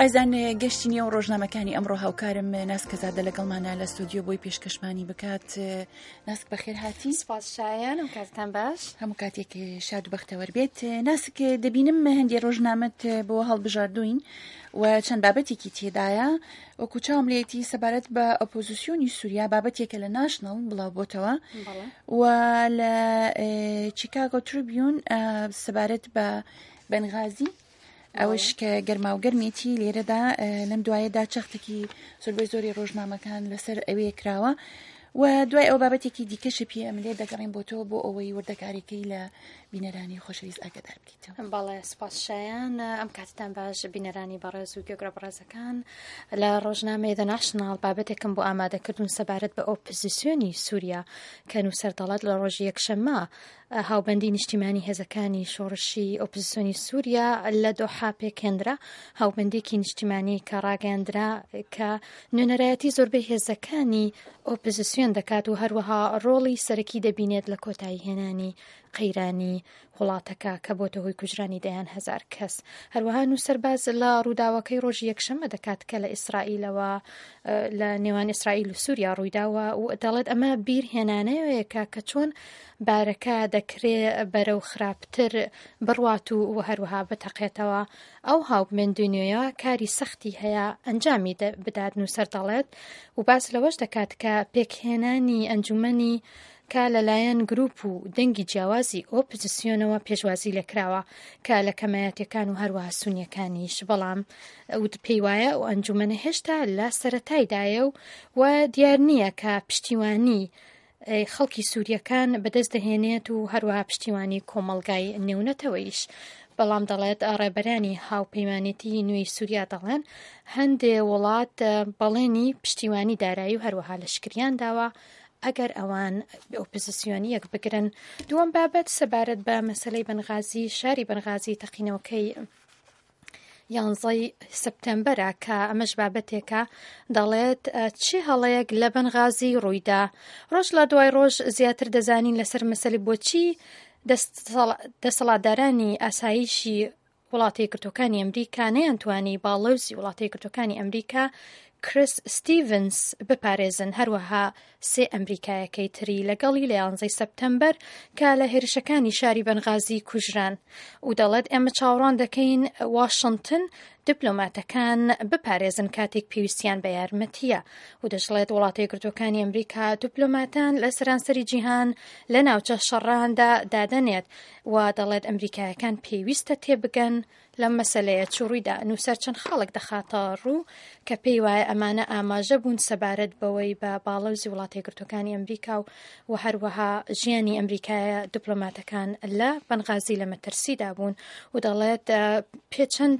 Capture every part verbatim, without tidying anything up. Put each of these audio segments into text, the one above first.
ئازان گەشتی نێو ڕۆژنامەکانی ئەمڕۆ، هاوکارم ناسکەزادە لەگەڵمانە لە ستۆدیۆ بۆی پێشکەشمانی بکات. ناسک، بەخێر هاتی. سپاس شایان، ئەم کاتتان باش. هەموو کاتێک شاد و بەختەوەر بێت. ناسک، دەبینم هەندێ ڕۆژنامەت بۆ هەڵبژاردوین و چەند بابەتێکی تێدایە. وەکو چاوم لێتی سەبارەت بە ئۆپۆزیسیۆنی سووریا بابەتێکە لە ناشنڵ بڵاو بۆتەوە و لە چیکاگۆ تریبیون سەبارەت بە بەنغازی، ئەوەش کە گەرما و گەرمێتی لێرەدا لەم دوایەدا چەختێکی زۆربەی زۆری ڕۆژنامەکان لەسەر ئەوێ کراوە و دوای ئەو بابەتێکی دیکەشی پێ ئەم لێ دەگەڕین بۆ تۆ بۆ ئەوەی وردەکاریەکەی لە بینەرانی خۆشەویست ئاگادار بکەیتەوە. بەڵێ، سپاس شایان، ئەم کاتتان باش بینەرانی بەڕێز و گوێگرە بەڕێزەکان. لە ڕۆژنامەی The National بابەتێکم بۆ ئامادەکردون سەبارەت بە ئۆپۆزیسیۆنی سووریا، کە نووسەر دەڵێت لە ڕۆژی یەکشەممە هاوبەندی نیشتیمانی هێزەکانی شۆڕشی ئۆپۆزیسیۆنی سووریا لە دۆحا پێکهێنرا، هاوبەندێکی نیشتیمانی کە ڕاگەیاندرا کە نوێنەرایەتی زۆربەی هێزەکانی ئۆپۆزیسیۆن دەکات و هەروەها ڕۆڵی سەرەکی دەبینێت لە کۆتایی هێنانی قەیرانی وڵاتەکە کە بۆتە هۆی کوژرانی دەیان هەزار کەس. هەروەها نووسەر باس لە ڕووداوەکەی ڕۆژی یەکشەممە دەکات کە لە ئیسرائیلەوە لە نێوان ئیسرائیل و سووریا ڕوویداوە و دەڵێت ئەمە بیر هێنانەوەیەکە کە چۆن بارەکە دەکرێ بەرەو خراپتر بڕوات و هەروەها بتەقێتەوە. ئەو هاوبەندی نوێیە کاری سەختی هەیە ئەنجامی بدات، نووسەر دەڵێت، و باس لەوەش دەکات کە پێکهێنانی ئەنجومەنی کە لەلایەن گروپ و دەنگی جیاوازی ئۆپۆزیسیۆنەوە پێشوازی لێکراوە کە لە کەمایەتەکان و هەروەها سونیەکانیش، بەڵام پێی وایە ئەو ئەنجومەنە هێشتا لە سەرەتایدایە و و دیار نییە کە پشتیوانی خەڵکی سووریەکان بەدەست دەهێنێت و هەروەها پشتیوانی کۆمەڵگای نێونەتەوەیش. بەڵام دەڵێت ڕێبەرانی هاوپەیمانێتی نوێی سووریا دەڵێن هەندێ وڵات بەڵێنی پشتیوانی دارایی و هەروەها لەشکریان داوە ئەگەر ئەوان ئۆپۆزیسیۆنی یەک بگرن. دووەم بابەت سەبارەت بە مەسلەی بەنغازی، شاری بەنغازی، تەقینەوەکەی یانزەی سپتەمبەرە، کە ئەمەش بابەتێکە دەڵێت چی هەڵەیەک لە بەنغازی ڕوویدا. ڕۆژ لە دوای ڕۆژ زیاتر دەزانین لەسەر مەسەلی بۆچی دەسەڵاتدارانی ئاسایشی وڵاتی یەکگرتووەکانی ئەمریکا نەیانتوانی باڵۆزی وڵاتی یەکگرتووەکانی ئەمریکا کریس ستیڤنس بپارێزن، هەروەها سێ ئەمریکایەکەی تری لەگەڵی لە یانزەی سپتەمبەر کە لە هێرشەکانی شاری بەنغازی کوژران. و دەڵێت ئێمە چاوەڕوان دەکەین واشنگتن دیپلۆماتەکان بپارێزن کاتێک پێویستیان بە یارمەتیە. و دەشڵێت وڵاتە یەکگرتووەکانی ئەمریکا دیپلۆماتان لە سەرانسەری جیهان لە ناوچە شەڕاندا دادەنێت و دەڵێت ئەمریکایەکان پێویستە تێبگەن لەم مەسلەیە چ ڕوویدا. نووسەر چەند خاڵێک دەخاتە ڕوو کە پێی وایە ئەمانە ئاماژە بوون سەبارەت بەوەی بە باڵەوزی وڵاتە یەکگرتووەکانی ئەمریکا و و هەروەها ژیانی ئەمریکایە دیپلۆماتەکان لە بەنغازی لە مەترسیدا بوون. و دەڵێت پێ چەند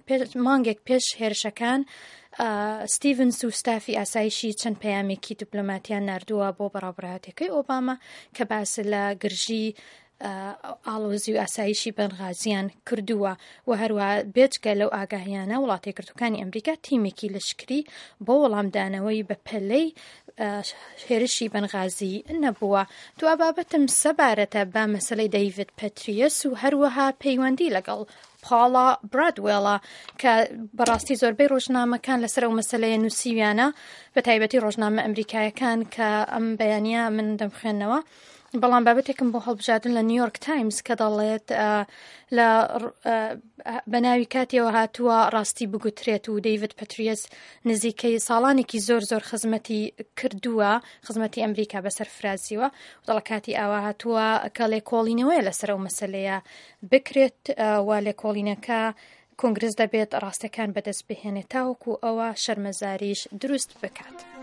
مانگێک پێش هێرشەکان ستیڤنس و ستافی ئاسایشی چەند پەیامێکی دیپلۆماتیان ناردووە بۆ بەڕێوەبەرایەتیەکەی ئۆباما کە باس لە گرژی ئاڵۆزی و ئاسایشی بەنغازیان کردووە. و هەروە بێجگە لەو ئاگاهیانە وڵاتە یەکگرتووەکانی ئەمریکا تیمێکی لەشکری بۆ وەڵامدانەوەی بە پەلەی هێرشی بەنغازی نەبووە. دوا بابەتم سەبارەتە بە مەسلەی دەیڤد پەتریەس و هەروەها پەیوەندی لەگەڵ پاڵا برادوێڵا، کە بەڕاستی زۆربەی ڕۆژنامەکان لەسەر ئەو مەسلەیە نووسیویانە، بە تایبەتی ڕۆژنامە ئەمریکایەکان کە ئەم بەیانە من دەمخوێنەوە. بەڵام بابەتێکم بۆ هەڵبژاردن لە نیویۆرک تایمز کە دەڵێت لە بە ناوی کاتیەوە هاتووە ڕاستی بگوترێت و دەیڤد پەتریەس نزیکەی ساڵانێکی زۆر زۆر خزمەتی کردووە، خزمەتی ئەمریکا بەسەر فرازیوە، دەڵە کاتی ئاوا هاتووە کە لێکۆڵینەوەیە لەسەر ئەو مەسلەیە بکرێت و لێکۆڵینەکە کۆنگرس دەبێت ڕاستەکان بەدەست بهێنێت تاوەکو ئەوە شەرمەزاریش دروست بکات.